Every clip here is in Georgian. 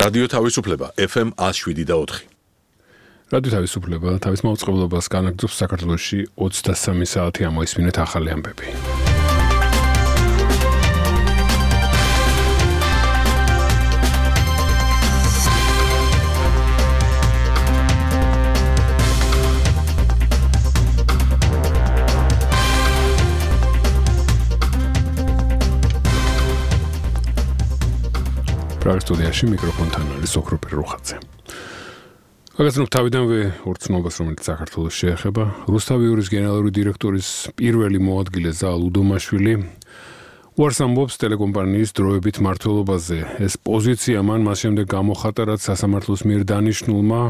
რადიო თავისუფლება FM 107.4. რადიო თავისუფლება თავის მაუწყებლობას განაგრძობს საქართველოში 23 საათი ამოისმინეთ ახალი ამბები. პრაგსტუდიაში მიკროფონთან არის ოქროპირ რუხაძე. გაგაცნობ თავიდანვე ორცნობას, რომელიც საქართველოს შეეხება. რუსთავიურის გენერალური დირექტორის პირველი მოადგილე ზალ უდომაშვილი უარს ამბობს ტელეკომპანიის დროებით მმართველობაზე. ეს პოზიცია მან მას შემდეგ გამოხატა, რაც სასამართლოს მიერ დანიშნულმა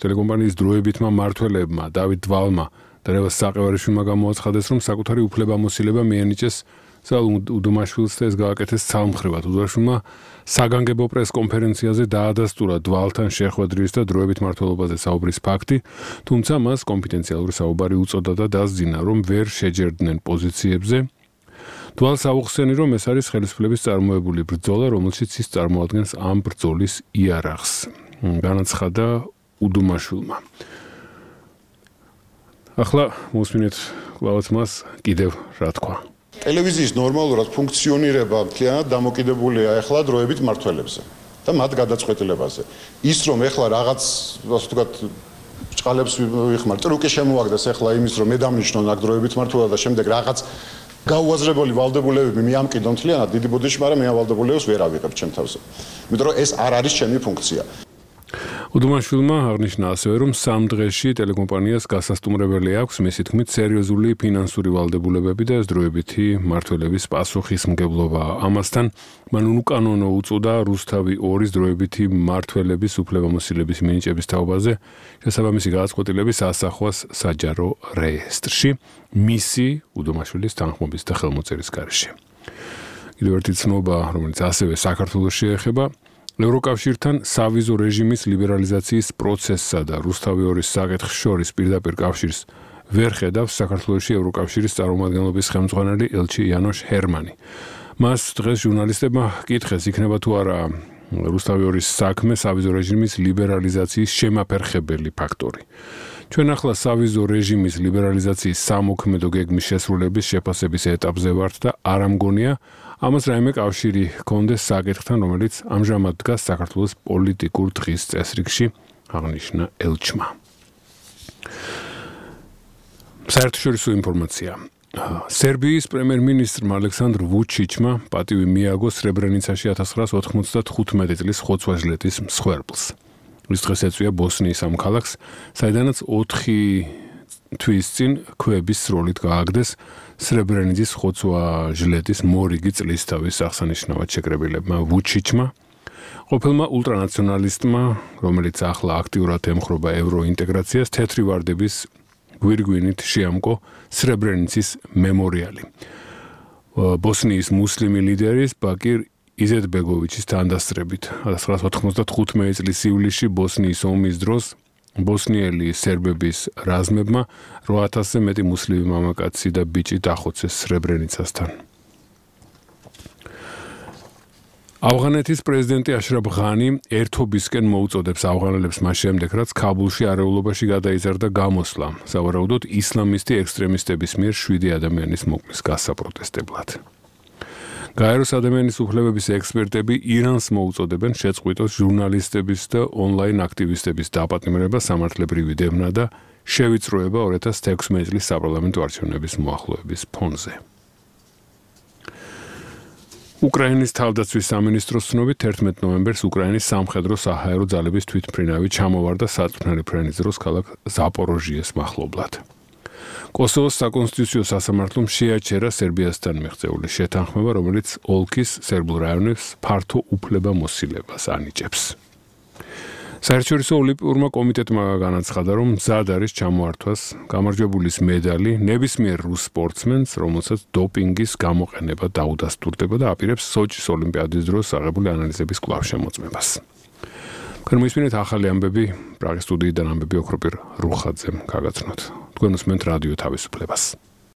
ტელეკომპანიის დროებითმა მმართველებმა დავით დვალმა და რევაზ საყევარიშვილმა გამოაცხადეს, რომ საკუთარი უფლებამოსილება მიანიჭეს ზალ უდომაშვილს და ეს გააკეთეს ცალმხრივად. უდომაშვილმა საგანგებო პრესკონფერენციაზე დაადასტურა დვალთან შეხვედრის და დროებით მმართველობაზე საუბრის ფაქტი, თუმცა მას კონფიდენციალური საუბარი უწოდა და დასძინა, რომ ვერ შეჯერდნენ პოზიციებზე. დვალს აუხსენი, რომ ეს არის ხელისუფლების წარმოებული ბრძოლა, რომელშიც ის წარმოადგენს ამ ბრძოლის იარაღს. განაცხადა უდომაშვილმა. ახლა მოსმინეთ კლავაც მას კიდევ რა თქვა. ტელევიზიის ნორმალურად ფუნქციონირება მთლიანად დამოკიდებულია ახლა დროებით მმართველებზე და მათ გადაწყვეტილებაზე. ის რომ ახლა რაღაც ასე ვთქვათ ჭყალებს ვიხმარ, ტრუკი შემოაგდეს ახლა იმის რომ მე დამნიშნონ აქ დროებით მმართველობა და შემდეგ რაღაც გაუაზრებელი ვალდებულებები მიამკიდონ მთლიანად დიდი ბოდიში, მაგრამ მე ამ ვალდებულებებს ვერ ავიღებ ჩემ თავზე. იმიტომ რომ ეს არ არის ჩემი ფუნქცია. უდომაშვილმა აღნიშნა ასევე, რომ სამ დღეში ტელეკომპანიას გასასტუმრებელი აქვს მისი თქმით სერიოზული ფინანსური ვალდებულებები და დროებითი მმართველების პასუხისმგებლობა. ამასთან მან უკანონო უწოდა რუსთავი 2-ის დროებითი მმართველების უფლებამოსილების მინიჭების თაობაზე შესაბამისი გადაწყვეტილების ასახვას საჯარო რეესტრში მისი უდომაშვილის თანხმობის და ხელმოწერის გარეშე. კიდევ ერთი ცნობა, რომელიც ასევე საქართველოს შეეხება, ევროკავშირთან სავიზო რეჟიმის ლიბერალიზაციის პროცესსა და რუსთავი 2-ის საკითხს შორის პირდაპირ კავშირს ვერ ხედავს საქართველოში ევროკავშირის წარმომადგენლობის ხელმძღვანელი ელჩი იანოშ ჰერმანი. მას დღეს ჟურნალისტებმა კითხეს, იქნება თუ არა რუსთავი 2-ის საქმე სავიზო რეჟიმის ლიბერალიზაციის შემაფერხებელი ფაქტორი. ჩვენ ახლა სავიზო რეჟიმის ლიბერალიზაციის სამოქმედო გეგმის შესრულების შეფასების ეტაპზე ვართ და არ ამგონია ამას რაიმე კავშირი ჰქონდეს საკითხთან, რომელიც ამჟამად დგას საქართველოს პოლიტიკურ დღის წესრიგში, აღნიშნა ელჩმა. საერთაშორისო ინფორმაცია. სერბიის პრემიერ-მინისტრმა ალექსანდრ ვუჩიჩმა პატივი მიაგო სრებრენიცაში 1995 წლის ხოცვა-ჟლეტის მსხვერპლს. ის დღეს ეწვია ბოსნიის ამ ქალაქს, საიდანაც 4 თვის წინ ქვების სროლით გააგდეს სრებრენიცის ხოცვა-ჟლეტის მორიგი წლისთავის აღსანიშნავად შეკრებილებმა ვუჩიჩმა, ყოფილმა ულტრანაციონალისტმა, რომელიც ახლა აქტიურად ემხრობა ევროინტეგრაციას, თეთრი ვარდების გვირგვინით შეამკო სრებრენიცის მემორიალი. ბოსნიის მუსლიმი ლიდერის ბაკირ იზეტბეგოვიჩის თანდასწრებით 1995 წლის ივლისში ბოსნიის ომის დროს ბოსნიელი სერბების რაზმებმა 8000-ზე მეტი მუსლიმი მამაკაცი და ბიჭი დახოცეს სრებრენიცასთან. ავღანეთის პრეზიდენტი აშრაფ ღანი ერთობისკენ მოუწოდებს ავღანელებს მას შემდეგ, რაც ქაბულში არეულობაში გადაიზარდა გამოსვლა, სავარაუდოდ ისლამისტი ექსტრემისტების მიერ 7 ადამიანის მოკვლის გასაპროტესტებლად. გაეროს ადამიანის უფლებების ექსპერტები ირანს მოუწოდებენ შეწყვიტოს ჟურნალისტების და ონლაინ აქტივისტების დაპატიმრება, სამართლებრივი დევნა და შევიწროება 2016 წლის საპარლამენტო არჩევნების მოახლოების ფონზე. უკრაინის თავდაცვის სამინისტროს ცნობით 11 ნოემბერს უკრაინის სამხედრო-საჰაერო ძალების თვითმფრინავი ჩამოვარდა საწვრთნელი ფრენის დროს ქალაქ ზაპოროჟიეს მახლობლად. კოსოვოს საკონსტიტუციო სასამართლომ შეაჩერა სერბიასთან მიღწეული შეთანხმება, რომელიც ოლქის სერბულ რაიონებს ფართო უფლებამოსილებას ანიჭებს. საერთაშორისო ოლიმპიურმა კომიტეტმა განაცხადა, რომ მზად არის ჩამოართვას გამარჯვებულის მედალი ნებისმიერ რუს სპორტსმენს, რომელსაც დოპინგის გამოყენება დაუდასტურდება და აპირებს სოჭის ოლიმპიადის დროს აღებული ანალიზების კვლავ შემოწმებას. თქვენ მოისმინეთ ახალი ამბები, პრაღის სტუდიიდან ამბები ოქროპირ რუხაძემ გაგაცნოთ. თქვენ უსმენთ რადიო თავისუფლებას.